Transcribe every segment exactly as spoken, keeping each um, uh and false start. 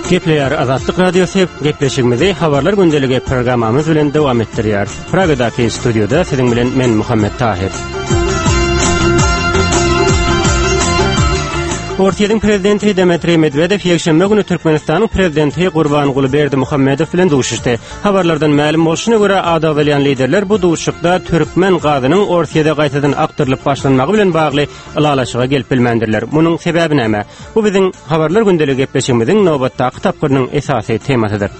Gepleýär Azatlyk Radiosy gepleşigimizi Habarlar gündeligi programmamyz bilen dowam etdirýär. Pragadaky studioda siziň bilen men Muhammet Tahir. Orsýetiň prezidenti Dmitriý Medwedew ýekşenbe güni Türkmenistanyň prezidenti Gurbanguly Berdimuhamedow bilen duşuşdy. Habarlardan mälim bolşuna görä, ady agzalýan liderler bu duşuşykda türkmen gazynyň Orsýete gaýtadan akdyrylyp başlanmagy bilen bagly ylalaşyga gelip bilmändirler. Munuň sebäbi näme? Bu biziň Habarlar gündeligi gepleşigimiziň nobatdaky tapgyrynyň esasy temasydyr.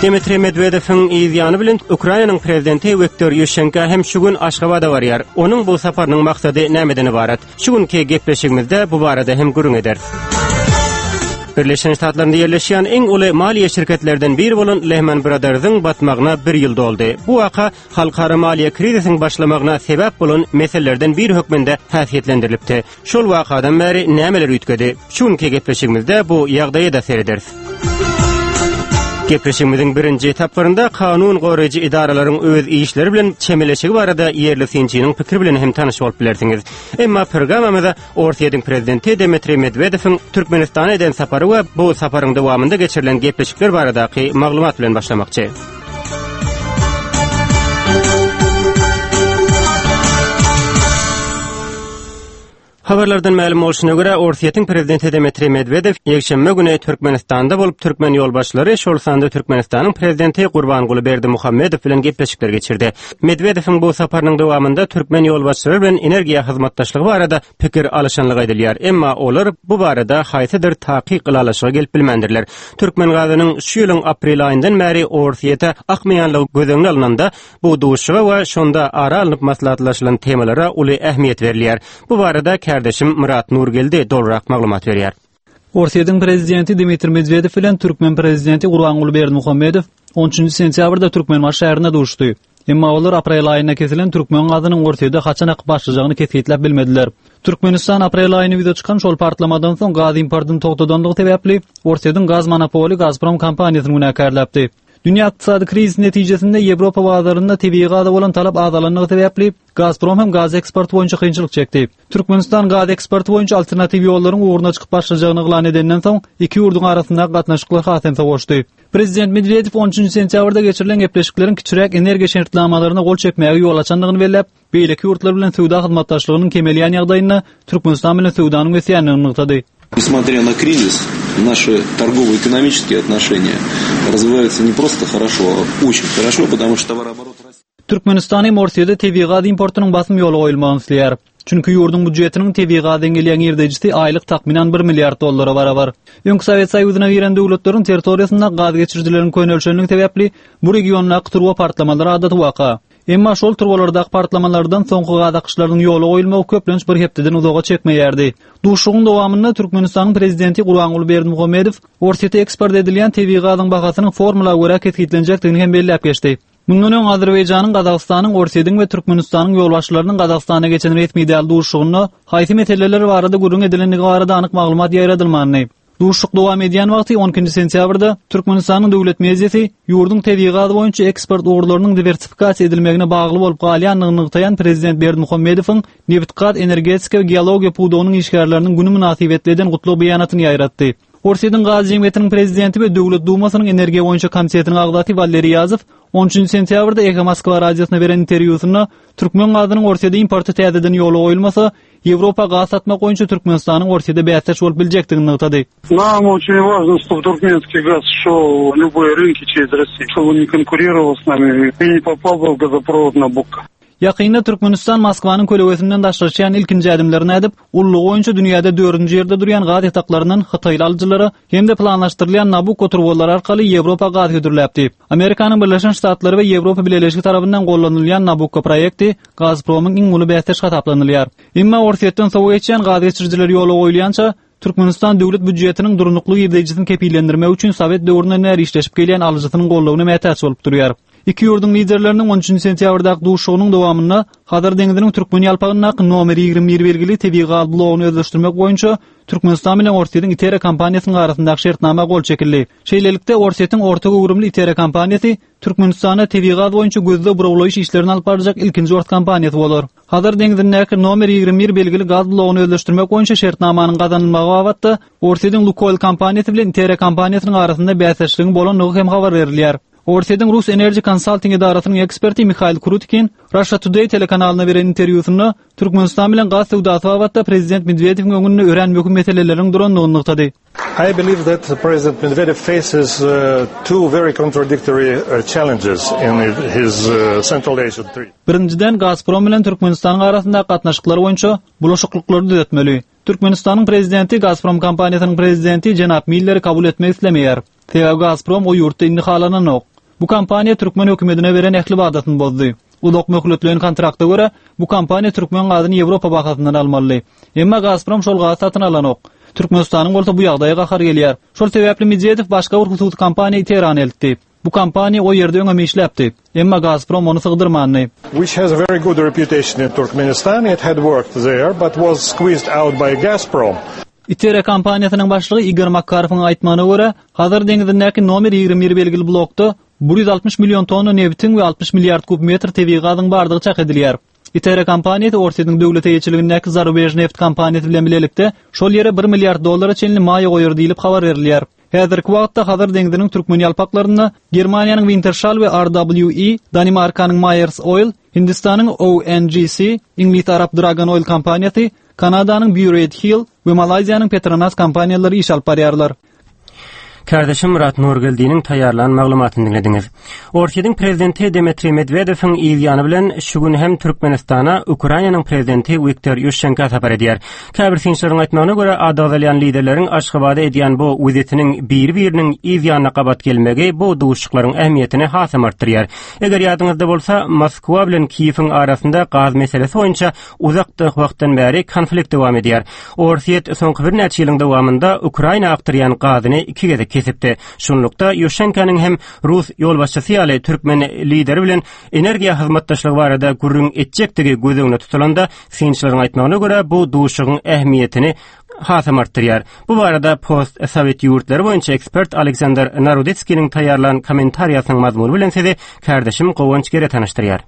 Dmitriý Medwedewiň yz ýany bilen Ukrainanyň prezidenti Wiktor Ýuşenko hem şu gün Aşgabada barýar. Onuň bu saparynyň maksady nämeden ybarat? Şu günki gepleşigimizde bu barada hem gürrüň ederis. Birleşen Ştatlarynda ýerleşýän iň uly maliýe şirketlerden biri bolan Lehman Brothersyň batmagyna bir ýyl doldy. Bu waka halkara maliýe krizisiniň başlamagyna sebäp bolan meselelerden biri hökmünde häsiýetlendirilipdi. Şol wakadan bäri nämeler üýtgedi? Şu günki gepleşigimizde bu ýagdaýa-da serederis. Gepleşigimiziň birinji tapgyrynda kanun goraýjy edaralaryň öz işleri bilen çemeleşigi barada ýerli synçynyň pikiri bilen hem tanyş bolup bilersiňiz. Emma programmamyza Orsýetiň prezidenti Dmitriý Medwedewiň Türkmenistana eden sapary we bu saparyň dowamynda geçirilen gepleşikler baradaky maglumat bilen başlamakçy. Habarlardan mälim bolşuna görä, Orsýetiň prezidenti Dmitriý Medwedew ýekşenbe güni Türkmenistanda bolup, türkmen ýolbaşçylary, şol sanda Türkmenistanyň prezidenti Gurbanguly Berdimuhamedow bilen gepleşikler geçirdi. Medwedewiň bu saparynyň dowamynda türkmen ýolbaşçylary bilen energiýa hyzmatdaşlygy barada pikir alyşanlygy aýdylýar. Emma olar bu barada haýsydyr takyk ylalaşyga gelip bilmändirler. Türkmen gazynyň şu ýylyň aprel aýyndan bäri Orsýete akmaýanlygy göz öňüne alnanda, bu duşuşyga we şonda ara alnyp maslahatlaşylan temalara uly ähmiýet berilýär. Bu barada kärdeşim Myrat Nurgeldi dolurak maglumat berýär. Orsýetiň prezidenti Dmitriý Medwedew bilen türkmen prezidenti Gurbanguly Berdimuhamedow on üçünji sentýabrda Türkmenbaşy şäherinde duşuşdy. Emma olar aprel aýynda kesilen türkmen gazynyň Orsýete haçan akyp başlajagyny kesgitläp bilmediler. Türkmenistan aprel aýynda ýüze çykan şol partlamadan soň gaz importyny togtadanlygy sebäpli Orsýetiň gaz monopoly Gazprom kompaniýasyny günäkärläpdi. Dünýä ykdysady krizisi netijesinde Ýewropa bazarynda tebigy gaza bolan talap azalanlygy sebäpli Gazprom hem gaz eksporty boýunça kynçylyk çekdi. Türkmenistan gaz eksporty boýunça alternatiw ýollaryň ugruna çykyp başlajagyny yglan edenden soň iki ýurduň arasyndaky gatnaşyklar has hem sowaşdy. Prezident Medwedew on üçünji sentýabrda geçirilen gepleşikleriň kiçiräk energiýa şertnamalaryna gol çekmäge ýol açandygyny belläp, beýleki ýurtlar bilen söwda hyzmatdaşlygynyň kemelýän ýagdaýynda Türkmenistan bilen söwdanyň ösýändigini nygtady. Несмотря на кризис, наши торгово-экономические отношения развиваются не просто хорошо, а очень хорошо, потому что товарооборот растет. Türkmenistan hem Orsýete tebigy gaz importynyň basym ýola goýulmagyny isleýär. Çünki ýurduň býujetiniň tebigy gazdan gelýän girdejisi aýlyk takmynan bir milliard dollara barabar. Öňki Sowet Soýuzyna giren döwletleriň territoriýasynda gaz geçirijileriň könelişenligi sebäpli bu regiondaky turba partlamalary adaty waka. Emma şol turbalardaky partlamalardan soňky gaz akyşlarynyň ýola goýulmagy köplenç bir hepdeden uzaga çekmeýärdi. Duşuşygyň dowamynda Türkmenistanyň prezidenti Gurbanguly Berdimuhamedow Orsýete eksport edilýän tebigy gazyň bahasynyň formula görä kesgitlenjekdigini hem belläp geçdi. Mundan öň Azerbaýjanyň, Gazagystanyň, Orsýetiň we Türkmenistanyň ýolbaşçylarynyň Gazagystana geçen resmi däl duşuşygynda haýsy meseleler barada gürrüň edilendigi barada anyk maglumat ýaýradylmandy. Duşuşyk dowam edýän wagty on ikinji sentýabrda Türkmenistanyň döwlet mediasy ýurduň tebigy gaz boýunça eksport ugurlarynyň diwersifikasiýa edilmegine bagly bolup galýandygyny nygtaýan prezident Berdimuhamedowyň nebit-gaz, energetika we geologiýa pudagynyň işgärleriniň güni mynasybetli eden gutlag beýanatyny ýaýratdy. Orsýetiň gaz jemgyýetiniň prezidenti we Döwlet Dumasynyň energiýa boýunça komitetiniň agzasy Waleriý Ýazow on üçünji sentýabrda Eho Moskwa radiosyna beren interwýusynda türkmen gazynyň Orsýete importy täzeden ýola goýulmasa, Ýewropa gaz satmak boýunça Türkmenistanyň Orsýete bäsdeş bolup biljekdigini nygtady. Нам очень важно, чтобы туркменский газ шел в любые рынки через Россию, чтобы он не конкурировал с нами и не попал бы в газопровод Набукко. Ýakynda Türkmenistan Moskwanyň kölegesinden daşlaşýan ilkinji ädimlerini ädip, ullugy boýunça dünýäde dördünji ýerde durýan gaz ýataklaryndan Hytaýly alyjylara hem-de planlaşdyrylýan Nabukko turbalary arkaly Ýewropa gaz hödürläpdi. Amerikanyň Birleşen Ştatlary we Ýewropa Bileleşigi tarapyndan gollanylýan Nabukko proýekti Gazpromyň iň uly bäsdeş hasaplanylýar. Emma Orsýetden sowa geçýän gaz geçirijiler ýola goýulýança, Türkmenistan döwlet býujetiniň durnukly girdejisini kepillendirmek üçin Sowet döwründen bäri işleşip gelýän alyjysynyň goldawyna mätäç bolup durýar. Iki ýurduň liderleriniň on üçünji sentýabrdaky duşuşygynyň dowamynda Hazar deňziniň Türkmen ýalpagyndaky nomer ýigrimi bir belgili tebigy gaz blogyny özleşdirmek boýunça Türkmenistan bilen Orsýetiň Itera kompaniýasynyň arasyndaky şertnama gol çekildi. Şeýlelikde, Orsýetiň orta göwrümli Itera kompaniýasy Türkmenistanda tebigy gaz boýunça gözleg burawlaýyş işlerini alyp barjak ilkinji ors kompaniýasy bolar. Hazar deňzindäki nomer ýigrimi bir belgili gaz blogyny özleşdirmek boýunça şertnamanyň gazanylmagy babatda Orsýetiň Lukoil kompaniýasy bilen Itere kompaniýasynyň arasynda bäsdeşligiň bolandygy hem habar berilýär. Orsýetiň Rus Energy Consulting edarasynyň eksperti Mihail Krutkin Russia Today telekanalyna beren interwýusynda Türkmenistan bilen gaz söwdasy babatda Prezident Medwedewiň öňünde örän möhüm meseleleriň durandygyny nygtady. I believe that President Medvedev faces, uh, two very contradictory, uh, challenges in his, uh, Central Asia trip. Birinjiden Gazprom bilen Türkmenistanyň arasynda gatnaşyklar boýunça bulaşyklyklary düzetmeli. Türkmenistanyň prezidenti Gazprom kompaniýasynyň prezidenti Jenap Milleri kabul etmek islemeýär. Sebäbi Gazprom o ýurtda indi halananok. Bu kompaniýa türkmen hökümetine beren ähli wadasyny bozdy. Uzak möhletleýin kontrakta görä bu kompaniýa türkmen gazyny Ýewropa bahasyndan almaly. Emma Gazprom şol gazy satyn alanok. Türkmenistanyň bolsa bu ýagdaýa gahar gelýär. Şol sebäpli Medwedew başga bir hususy kompaniýa Tehrana eltdi. Bu kompaniýa o ýerde öňem işläpdi. Emma Gazprom ony sygdyrmandy. Which has a very good reputation in Turkmenistan. It had worked there but was squeezed out by Gazprom. Itere kompaniýasynyň başlygy Igor Makarowyň aýtmagyna görä, Hazar deňzindäki nomer ýigrimi bir belgili blokda bir ýüz altmyş million tonna nebitiň we altmyş milliard kub metr tebigy gazyň bardygy çak edilýär. Itere kompaniýasy Orsýetiň döwlet eýeçiligindäki Zarubej neft kompaniýasy bilen bilelikde şol ýere bir milliard dollara çenli maýa goýar diýlip habar berilýär. Häzirki wagtda Hazar deňziniň türkmen ýalpaklarynda Germaniýanyň Wintershall we R W E, Danimarkanyň Myers Oil, Hindistanyň O N G C, Iňlis Arap Dragon Oil kompaniýasy, Kanadanyň Burette Hill we Malaýziýanyň Petronas kompaniýalary iş alyp barýarlar. Kardeşim Murat Nurgeldiniň taýýarlan maglumatyny dinlediňiz. Orsýetiň prezidenti Dmitriý Medwedewiň ýany bilen şu gün hem Türkmenistana Ukrainanyň prezidenti Wiktor Ýuşenko sapar edýär. Käbir synçylaryň aýtmagyna görä, adagzalýan liderleriň Aşgabada edýän bu wizitiniň bir-biriniň ýanyna gabat gelmegi bu duşuşyklaryň ähmiýetini hasam artdyrýar. Eger ýadyňyzda bolsa, Moskwa bilen Kiýewiň arasynda gaz meselesi boýunça uzak wagtdan bäri konflikt dowam edýär. Orsýet soňky birnäçe ýylyň dowamynda Ukraina akdyrýan gazyny iki gezek kesipdi. Şunlukda Ýuşenkonyň hem Rus ýolbaşçysy ýaly türkmen lideri bilen energiýa hyzmatdaşlygy barada gürrüň etjekdigi göz öňünde tutulanda, synçylaryň aýtmagyna görä bu duşuşygyň ähmiýetini hasam artdyrýar. Bu barada post-sowet ýurtlary boýunça ekspert Aleksandr Narodetskiniň taýýarlan kommentariýasynyň mazmuny bilen sizi kardeşim Gowanç Gere tanyşdyrýar.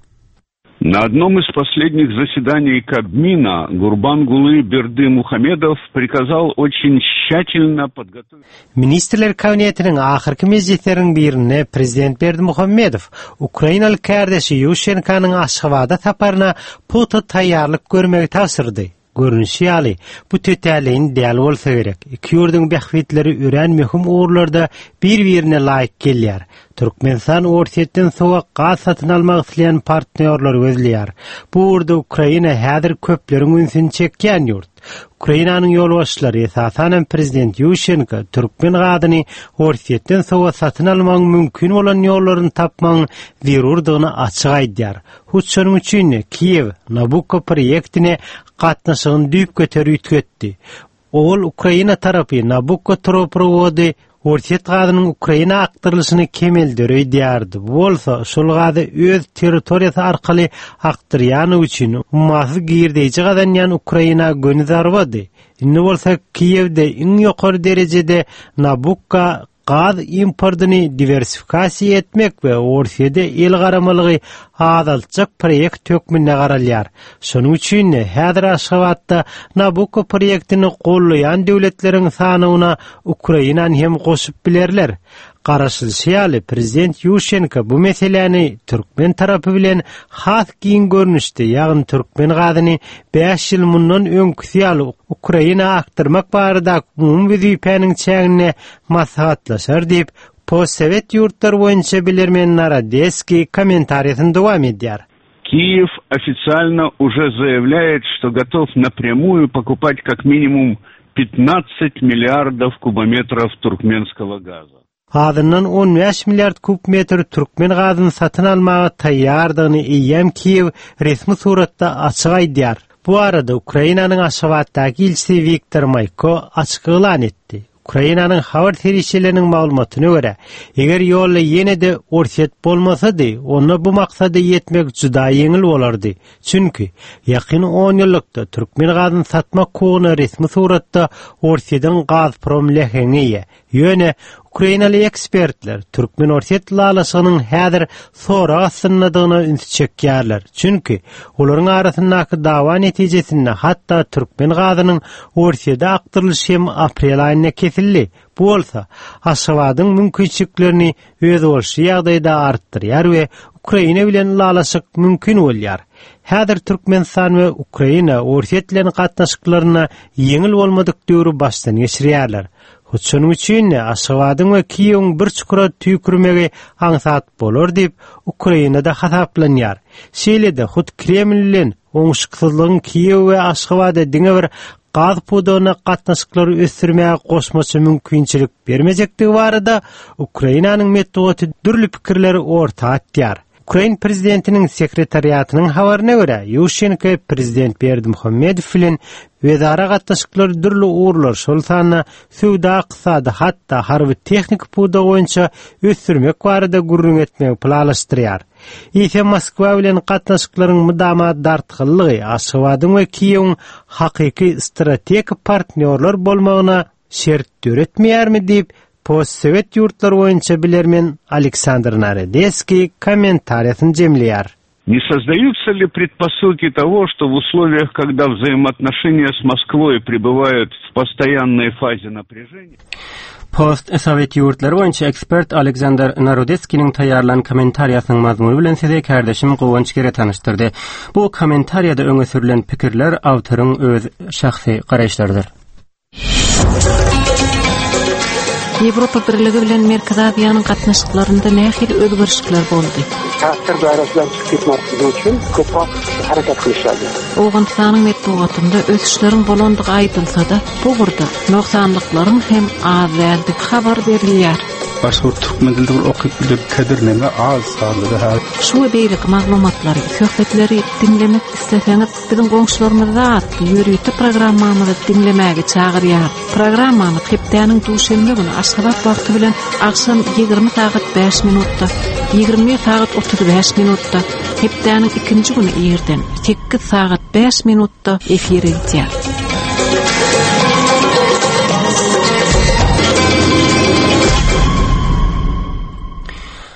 На одном из последних заседаний Кабмина Гурбангулы Бердымухамедов приказал очень тщательно подготовить... Ministrler Kabinetiniň ahyrky mejlisleriniň birinde Prezident Berdimuhamedow Ukrainaly kardeşi Ýuşenkanyň Aşgabada saparyna pugta taýýarlyk görmegi tabşyrdy. Görünüşi ýaly, bu tötäleýin däl bolsa gerek. Iki ýurduň bähbitleri örän möhüm ugurlarda bir-birine laýyk gelýär. Türkmenistan Orsýetden sowuk gaz satyn almak isleýän partnýorlary gözleýär. Bu ugurda Ukraina häzir köpleriň ünsüni çekýän ýurt. Ukrainanyň ýolbaşçylary esasan Prezident Ýuşenko türkmen gazyny Orsýetden sowuk satyn almagyň mümkin bolan ýollaryny tapmagyň zerurdygyny açyk aýdýar. Hut şonuň üçin Kiýew Nabucco proýektine gatnaşygyny düýp göterip üýtgetdi. Ol Ukraina tarapy Nabucco turbaprowody Orsýet gazynyň Ukraina akdyrylyşyny kemeldir öýdýärdi. Bu bolsa şol gazy öz territoriýasy arkaly akdyrýany üçin ummasyz girdeýji gazanýan Ukraina göni zarbady. Indi bolsa Kiýewde iň ýokary derejede Nabucco gaz importyny diwersifikasiýa etmek we Orsýede el garamalygy azaltjak proýekt hökmünde garalýar. Şonuň üçin häzir Aşgabatda Nabucco proýektini gollaýan döwletleriň sanyna Ukrainany hem goşup bilerler. Garaşylyşy ýaly Prezident Ýuşenko bu meseläni türkmen tarapy bilen has giň görnüşde, ýagny türkmen gazyny bäş ýyl mundan öňküsi ýaly Ukraina akdyrmak barada umumy wezipäniň çäginde maslahatlaşar diýip, post-sowet ýurtlary boýunça bilermen Narodetskiý kommentariýasyny dowam edýär. Киев официально уже заявляет, что готов напрямую покупать как минимум пятнадцать миллиардов кубометров туркменского газа. Azyndan on bäş milliard kub metr türkmen gazyny satyn almaga taýýardygyny eýýäm Kiýew resmi suratda açyk aýdýar. Bu arada Ukrainanyň Aşgabatdaky ilçisi Wiktor Maýko açyk yglan etdi. Ukrainanyň habar serişdeleriniň maglumatyna görä, eger ýolla ýene-de Orsýet bolmasady, onda bu maksada ýetmek juda ýeňil bolardy. Çünki ýakyn on ýyllykda türkmen gazyny satmak hukugyna resmi suratda Orsýetiň Gazprom leheňi eýe. Ýöne Ukrainaly ekspertler Türkmen Orsýet ylalaşygynyň häzir sorag astyndadygyna üns çekýärler. Çünki olaryň arasyndaky dawa netijesinde hatda türkmen gazynyň Orsýete akdyrylyşy hem aprel aýynda kesildi. Bu bolsa Aşgabadyň mümkinçiliklerini özboluşly ýagdaýda artdyrýar we Ukraina bilen ylalaşyk mümkin bolýar. Häzir Türkmenistan we Ukraina Orsýet bilen gatnaşyklaryna ýeňil bolmadyk döwri başdan geçirýärler. Hut şonuň üçin Aşgabadyň we Kiýewiň bir çukura tüýkürmegi aňsat bolar diýip Ukrainada hasaplanýar. Şeýle-de hut Kreml bilen oňşuksyzlygyň Kiýew we Aşgabada diňe bir gaz pudagyna gatnaşyklary ösdürmäge goşmaça mümkinçilik bermejekdigi barada Ukrainanyň metbugaty dürli pikirleri orta atýar. Ukrain prezidentiniň sekretariatynyň habaryna görä, Ýuşenko prezident Berdimuhamedow bilen özara gatnaşyklary dürli ugurlar, şol sanda söwda, ykdysady, hatda harby tehnika pudagy boýunça ösdürmek barada gürrüň etmegi planlaşdyrýar. Eýse Moskwa bilen gatnaşyklaryň mydama dartgynlygy Aşgabadyň we Kiýewiň hakyky strategik partnýorlar bolmagyna şert döretmeýärmi diýip postsowet ýurtlary boýunça bilermen Aleksandr Narodeskiý kommentariýasyny jemleýär. Не создаются ли предпосылки того, что в условиях, когда взаимоотношения с Москвой пребывают в постоянной фазе напряжения? Post Sowet ýurtlary boýunça ekspert Aleksandr Narodetskiniň taýýarlan kommentariýasynyň mazmuny bilen size kardeşim Guwanç Gere tanyşdyrdy. Bu kommentariýada öňe sürülen pikirler awtoryň öz şahsy garaýyşlarydyr. Ýewropa Birligi bilen Merkezi Aziýanyň gatnaşyklarynda nähili özgerişlikler boldy? Ta'sir doirasidan chiqib ketmasligi uchun ko'proq harakat qilishadi. Owganystanyň metbugatynda ösüşleriň bolandygy aýdylsa-da, bu ugurda nogsanlyklaryň hem az däldigi habar berilýär. Başga bir türkmen dilinde bir okyp bilip kadir az sanly da Şu we beýleki maglumatlary, söhbetleri diňlemek isleseňiz, biziň goňşularymyzda atly ýörite programmamyzy diňlemäge çagyrýar. Programmamyz hepdäniň duşenbe güni Aşgabat wagty bilen agşam ýigrimi sagat bäş minutda, ýigrimi bir sagat otuz bäş minutda, hepdäniň ikinji güni irden sekiz sagat bäş minutda efire gidýär.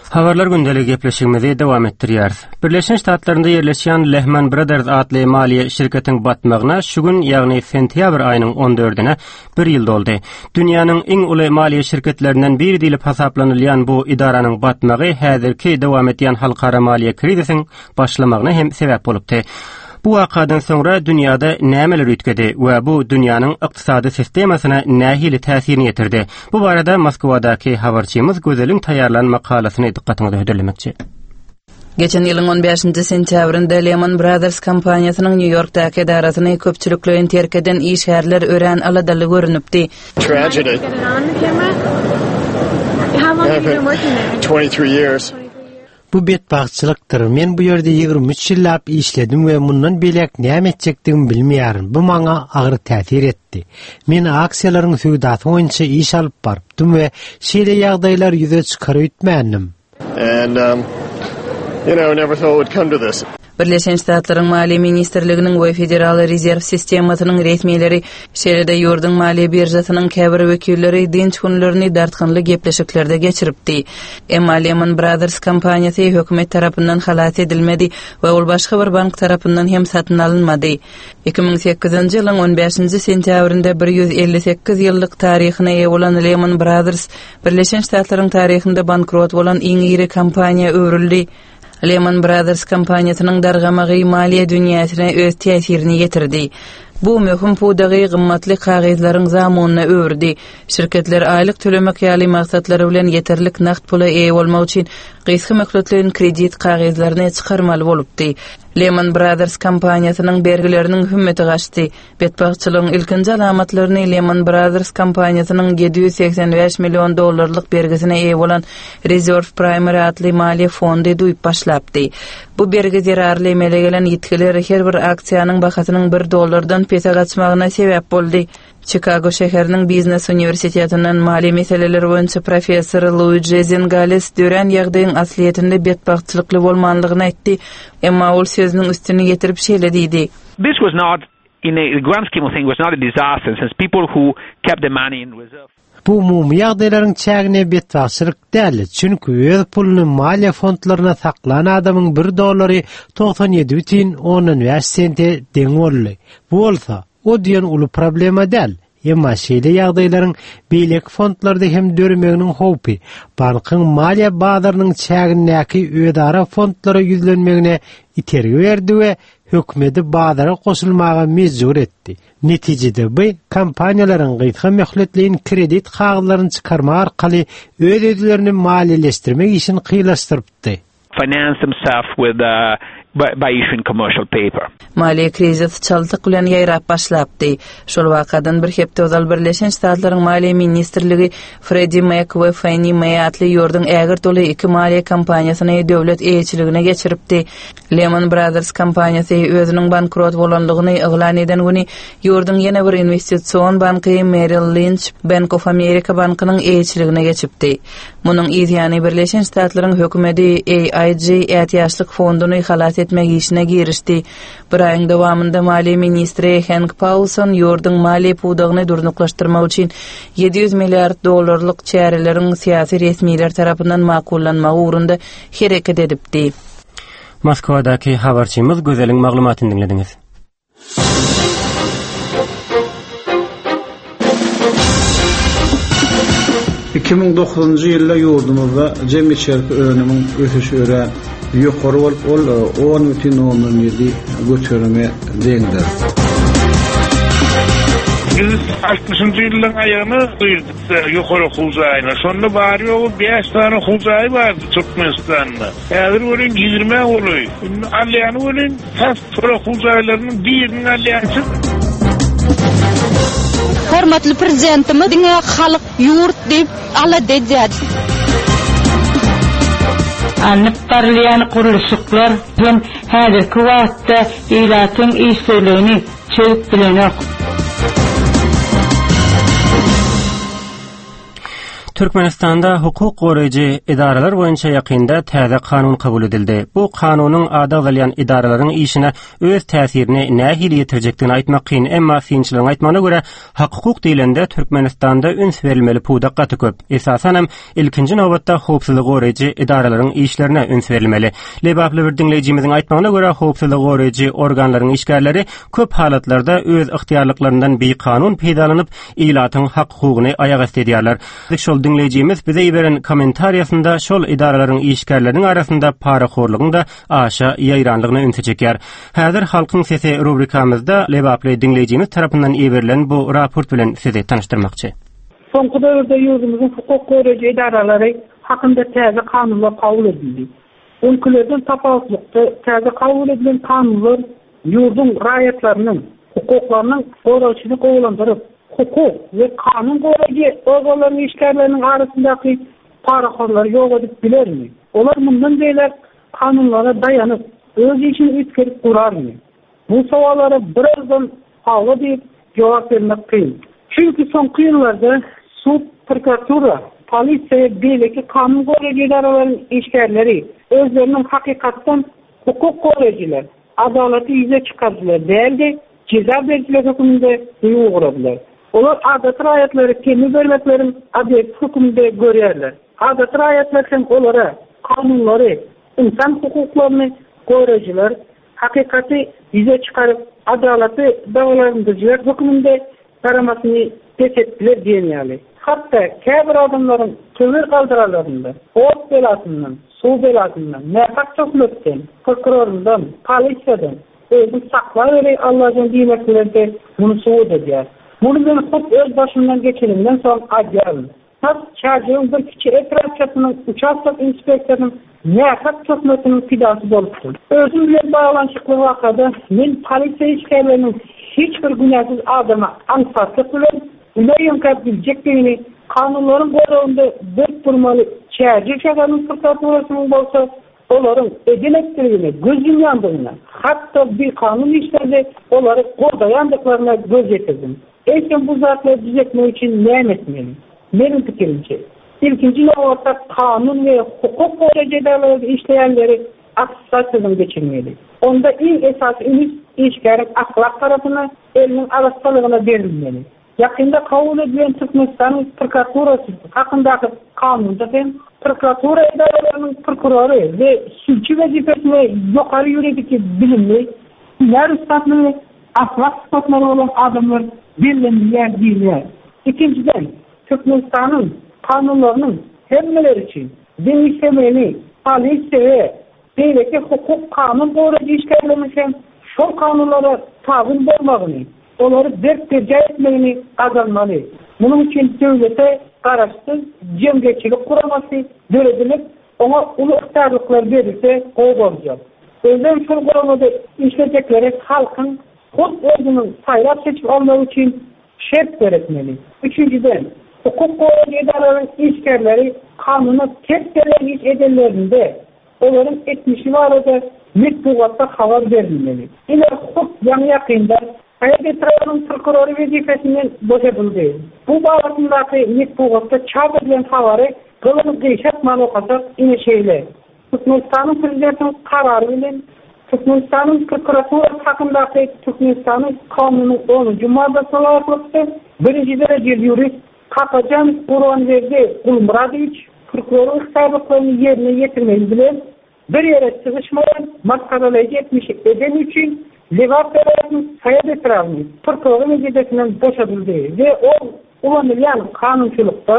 Habarlar gündelik gepleşigimizi dowam etdirýäris. Birleşen Ştatlarynda ýerleşýän Lehman Brothers atly maliýe şirketiň batmagyna şu gün, ýagny sentýabr aýynyň on dördüne bir ýyl doldy. Dünýäniň iň uly maliýe şirketlerinden biri diýlip hasaplanylýan bu idaranyň batmagy häzirki dowam edýän halkara maliýe krizisiň başlamagyna hem sebäp bolupdy. Bu wakadan soňra dünýäde nämeler üýtgedi we bu dünýäniň ykdysady sistemasyna nähili täsirini ýetirdi? Bu barada Moskwadaky habarçymyz Gözeliň taýýarlan makalasyny dykgatyňyza hödürlemekçi. Geçen ýylyň on bäşinji sentýabrynda Lehman Brothers kompaniýasynyň Nýu-Ýorkdaky edarasyny köpçülikleýin terk eden işgärler örän aladaly görünüpdi. Tragedy. twenty-three years. Bu betbagtçylykdyr. Men bu ýerde ýigrimi üç ýyllap işledim we mundan beýläk näme etjekdigimi bilmeýärin. Bu maňa agyr täsir etdi. Men aksiýalaryň söwdasy boýunça iş alyp barypdym we şeýle ýagdaýlar ýüze çykar öýtmändim. And, um, you know, never thought it would come to this. Birleşen Ştatlaryň Maliýe Ministrliginiň we Federal Rezerw sistemasynyň resmileri, şeýle-de ýurduň maliýe birjasynyň käbir wekilleri dynç günlerini dartgynly gepleşiklerde geçiripdi. Emma Lehman Brothers kompaniýasy hökümet tarapyndan halas edilmedi we ol başga bir bank tarapyndan hem satyn alynmady. Iki müň sekizinji ýylyň on bäşinji sentýabrynda bir ýüz elli sekiz ýyllyk taryhyna eýe bolan Lehman Brothers Birleşen Ştatlaryň taryhynda bankrot bolan iň iri kompaniýa öwrüldi. Lehman Brothers kompaniýasynyň dargamagy maliýe dünýäsine öz täsirini ýetirdi. Bu möhüm pudagy gymmatly kagyzlaryň zamunyna öwürdi. Şirketler aýlyk tölemek ýaly maksatlary bilen ýeterlik nagt pula eýe bolmak üçin gysga möhletleýin kredit kagyzlaryny çykarmaly bolupdy. Lehman Brothers kompaniýasynyň bergileriniň hümmeti gaçdy. Betbagtçylygyň ilkinji alamatlaryny Lehman Brothers kompaniýasynyň ýedi ýüz segsen bäş million dollarlyk bergisine eýe bolan Reserve Primary atly maliýe fondy duýup başlapdy. Bu bergi zerarly emele gelen ýitgiler her bir aksiýanyň bahasynyň bir dollardan pese gaçmagyna sebäp boldy. Chicago şäheriniň biznes uniwersitetinden maliýe meseleleri boýunça professor Luigi Zingales dörän ýagdaýyň aslyýetinde betbagtçylykly bolmanlygyny aýtdy. Emma ol sözüniň üstüni getirip şeýle diýdi. This was not, in a grand scheme of things, was not a disaster, since people who kept the money in reserve. Bu umumy ýagdaýlaryň çägine betbagtçylyk däl, çünki öz puluny maliýe fondlaryna saklan adamyň bir dollary togsan ýedi bütin ondan bäş sente deň boldy. Bu bolsa o diýen uly problema däl. Emma şeýle ýagdaýlaryň beýleki fondlarda hem döremeginiň howpy bankyň maliýe bazarynyň çägindäki özara fondlara ýüzlenmegine itergi berdi we hökümeti bazara goşulmaga mejbur etdi. Netijede bu kompaniýalaryň gysga möhletleýin kredit kagyzlaryny çykarmak arkaly öz-özlerini maliýeleşdirmek işini kynlaşdyrypdy. Finance themselves with, uh, by, by issuing commercial paper. Maliýe krizisi çaltlyk bilen ýaýrap başlapdy. Şol wakadan bir hepde ozal Birleşen Ştatlaryň Maliýe ministrligi Freddie Mac we Fannie Mae atly ýurduň ägirt uly iki maliýe kompaniýasyny döwlet eýeçiligine geçiripdi. Lehman Brothers kompaniýasy özüniň bankrot bolandygyny yglan eden güni ýurduň ýene bir investision banky Merrill Lynch Bank of America bankynyň eýeçiligine geçipdi. Munuň yzýany Birleşen Ştatlaryň hökümeti A I G ätiýaçlyk fonduny halas etmek işine girişdi. Bir aýyň dowamynda maliýe ministri Hank Paulson ýurduň maliýe pudagyny durnuklaşdyrmak üçin ýedi ýüz milliard dollarlyk çäreleriň syýasy resmiler tarapyndan makullanmagy ugrunda hereket edipdi. Moskwadaky habarçymyz Gözeliň maglumatyny diňlediňiz. iki müň dokuzynjy ýylda ýurdumyzda jem içerki önümiň ösüşi örän ýokary bolup, ol on bütin ondan ýedi göterime deňdir. Biz altmyşynjy ýylyň aýagyna girdik ýokary okuw jaýyna. Şonda bary ýogy bäş sany okuw jaýy bardy Türkmenistanda. Häzir welin ýigrimi golaý. Indi alýany welin tas şol okuw jaýlarynyň birini alýançy. Hormatly prezidentimiz diňe halk ýurt diýip alada edýär. Alnyp barylýan gurluşyklar hem häzirki wagtda ilatyň işsizligini çözüp bilenok. Türkmenistanda hukuk goraýjy edaralar boýunça ýakynda täze kanun kabul edildi. Bu kanunyň ady agzalýan edaralaryň işine öz täsirini nähili ýetirjekdigini aýtmak kyn, emma synçylaryň aýtmagyna görä hak-hukuk diýlende Türkmenistanda üns berilmeli pudak gaty köp. Esasanam ilkinji nobatda howpsuzlyk goraýjy edaralaryň işlerine üns berilmeli. Lebaply bir diňleýjimiziň aýtmagyna görä howpsuzlyk goraýjy organlaryň işgärleri köp halatlarda öz ygtyýarlyklaryndan bikanun peýdalanyp ilatyň hak-hukugyny aýak asty edýärler. Şol diňleýjimiz bize iberen kommentariýasynda şol edaralaryň işgärleriniň arasynda parahorlugyň da aşa ýaýranlygyna ünsi çekýär. Häzir Halkyň Sesi rubrikamyzda Lebaply diňleýjimiz tarapyndan iberilen bu raport bilen sizi tanyşdyrmakçy. Soňky döwürde ýurdumyzyň hukuk goraýjy edaralary hakynda täze kanunlar kabul edildi. Öňkülerden tapawutlykda täze kabul edilen kanunlar ýurduň raýatlarynyň hukuklarynyň goraýşyny gowulandyryp, hukuk we kanun goraýjy organlaryň işgärleriniň arasyndaky parahorlary ýok edip bilermi? Olar mundan beýläk kanunlara daýanyp, öz işini üýtgedip gurarmy? Bu sowallara birazdan hawa diýip jogap bermek kyn. Çünki soňky ýyllarda sud, prokuratura, polisiýa we beýleki kanun goraýjy edaralaryň işgärleri özleriniň hakykatdan hukuk goraýjylar, adalaty ýüze çykaryjylar däl-de, jeza berijiler hökmünde duýgy ugradylar. Olar adaty raýatlary temmi bermekleriň obýekti hökmünde görýärler. Adaty raýatlar hem olara kanunlary, insan hukuklaryny goraýjylar, hakykaty ýüze çykaryp, adalaty davalandyryjylar hökmünde garamasyny pes etdiler diýen ýaly. Hatda käbir adamlaryň töwir galdyralarynda, ot belasyndan, suw belasyndan, nähak töhmetden, prokurorundan, polisiýadan özüni saklaweri Allah'dan diýmek bilen de muny subut edýär. Muny men hut öz başymdan geçenimden soň aýdýaryn. Tas Çärjewiň bir kiçi etrapçasynyň uçastok inspektorynyň nähak töhmetiniň pidasy bolupdym. Özüm bilen baglanyşykly wakada men polisiýa işgärleriniň hiç bir günäsiz adama aňsatlyk bilen güne ýöňkäp biljekdigini, kanunlaryň goragynda berk durmaly Çärjew şäheriniň prokuraturasynyň bolsa olaryň eden etdigine göz ýumýandygyna, hatda bikanun işlerde olary goldaýandyklaryna göz ýetirdim. Eýsem bu zatlary düzetmek üçin näme etmeli? Meniň pikirimçe, ilkinji nobatda kanun we hukuk goraýjy edaralaryň işleýänleri attestasiýadan geçirmeli. Onda iň esasy üns işgäriň ahlak tarapyna, eliniň arassalygyna berilmeli. Ýakynda kabul edilen Türkmenistanyň prokuraturasy hakyndaky kanunda hem prokuratura edaralarynyň prokurory we sülçi wezipesine ýokary ýuridik bilimli, hünär ussatlygy, ahlak sypatlary bolan adamlar bellenilýär diýilýär. Ikinjiden, Türkmenistanyň kanunlarynyň hemmeler üçin deň işlemegini, polisiýa we beýleki hukuk kanun goraýjy işgärleriniň hem şol kanunlara tabyn bolmagyny, olary berk berjaý etmegini gazanmaly. Munuň üçin döwlete garaşsyz jemgyýetçilik guramasy döredilip, oňa uly ygtyýarlyklar berilse gowy boljak. Özem şol guramada işlejekleri halkyň hut özüniň saýlap seçip almagy üçin şert döretmeli. Üçünjiden, hukuk goraýjy edaralaryň işgärleri kanuna ters gelýän iş edenlerinde olaryň etmişi barada metbugatda habar berilmeli. Ine hut ýaňy-ýakynda Saýat etrabynyň prokurory wezipesinden boşadyldy. Bu babatyndaky metbugatda çap edilen habary gylyny gyşartman okasak, ine şeýle. Türkmenistanyň Prezidentiniň karary bilen Türkmenistanyň prokuraturasy hakyndaky Türkmenistanyň kanunynyň onunjy maddasyna laýyklykda birinji derejeli ýurist Kakajan Gurbanberdi Gulmyradowiç prokuroryň ygtyýarlyklaryny ýerine ýetirmegi bilen bir ýere sygyşmaýan masgaralaýjy etmişi edeni üçin Lebap welaýatynyň Saýat etrabynyň prokurory wezipesinden boşadyldy we ol ulanylýan kanunçylykda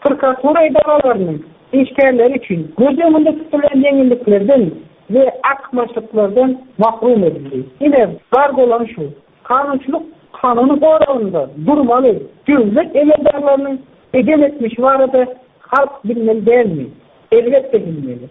prokuratura edaralarynyň işgärleri üçin göz öňünde tutulan ýeňilliklerden we artykmaçlyklardan mahrum edildi. Ine, bar bolan şu. Kanunçylyk kanunyň goragynda durmaly döwlet emeldarlarynyň eden etmişi barada halk bilmeli dälmi? Elbetde bilmeli.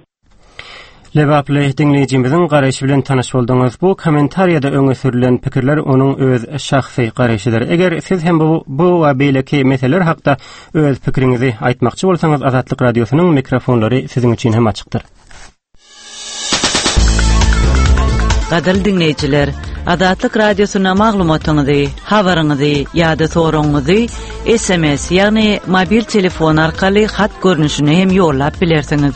Lebaply diňleýjimiziň garaýşy bilen tanyş bolduňyz. Bu kommentariýada öňe sürülen pikirler onuň öz şahsy garaýşydyr. Eger siz hem bu, bu we beýleki meseleler hakda öz pikiriňizi aýtmakçy bolsaňyz, Azatlyk Radiosynyň mikrofonlary siziň üçin hem açykdyr. Gadyrly diňleýjiler, Azatlyk Radiosyna maglumatyňyzy, habaryňyzy ýa-da soragyňyzy S M S, ýagny mobil telefon arkaly hat görnüşinde hem ýollap bilersiňiz.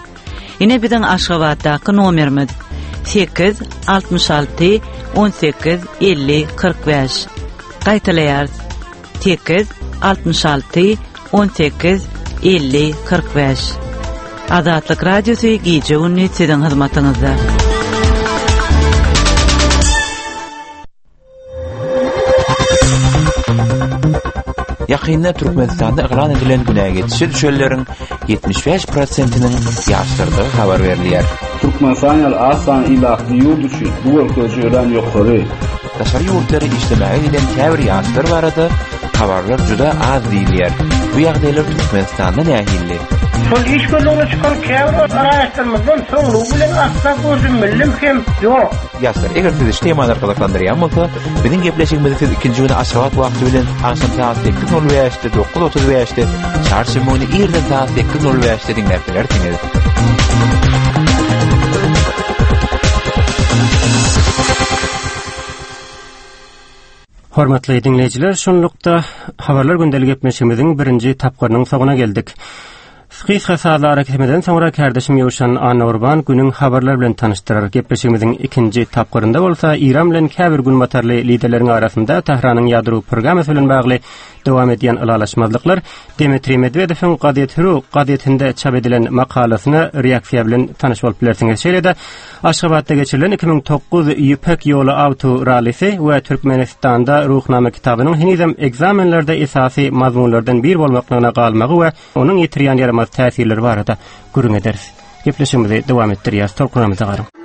Ine biziň Aşgabatdaky nomerimiz: sekiz altmyş alty on sekiz elli kyrk bäş. Gaýtalaýarys: sekiz altmyş alty on sekiz elli kyrk bäş. Azatlyk Radiosy gije gündüz siziň hyzmatyňyzda. Ýakynda Türkmenistanda yglan edilen günä geçişe düşenleriň ýetmiş bäş prosentiniň ýaşlardygy habar berilýär. Türkmenistan ýaly az sanly ilatly ýurt üçin bu görkeziji örän ýokary. Daşary ýurtlara işlemäge giden käbir ýaşlar barada habarlar juda az diýilýär. Bu ýagdaýlar Türkmenistanda nähili? Şol iş gözlegine çykan käbir raýatlarymyzdan soňlugy bilen asla gördüm hem ýok. Ýaşlar, eger sizi şu temalar gyzyklandyrýan bolsa, biziň gepleşigimizi siz ikinji güni Aşgabat wagty bilen agşam saat sekiz nol bäşde, dokuz otuz bäşde, çarşenbe güni irden saat sekiz nol bäşde diňläp bilersiňiz. Hormatly diňleýjiler, şunlukda habarlar gündelik gepleşigimiziň birinji tapgyrynyň soňuna geldik. Gysga sazly arakesmeden soňra kardeşim Ýowşan Annagurban günüň habarlar bilen tanyşdyrar. Gepleşigimiziň ikinji tapgyrynda bolsa Iran bilen käbir günbatarly liderleriň arasynda Tähranyň ýadro programmasy bilen bagly dowam edýän ylalaşmazlyklar, Dmitri Medwedewiň Gazet Ru gazetinde çap edilen makalasyna reaksiýa bilen tanyş bolup bilersiňiz. Şeýle-de Aşgabatda geçirilen iki müň dokuz Ýüpek ýoly awto rallisi we Türkmenistanda Ruhnama kitabynyň henizem ekzamenlerde esasy mazmunlardan bir bolmaklygyna galmagy we onuň ýetirýän ýaramaz täsirleri barada gürrüň ederis. Gepleşigimizi dowam etdirýäris. Tolkunlarymyza garyň.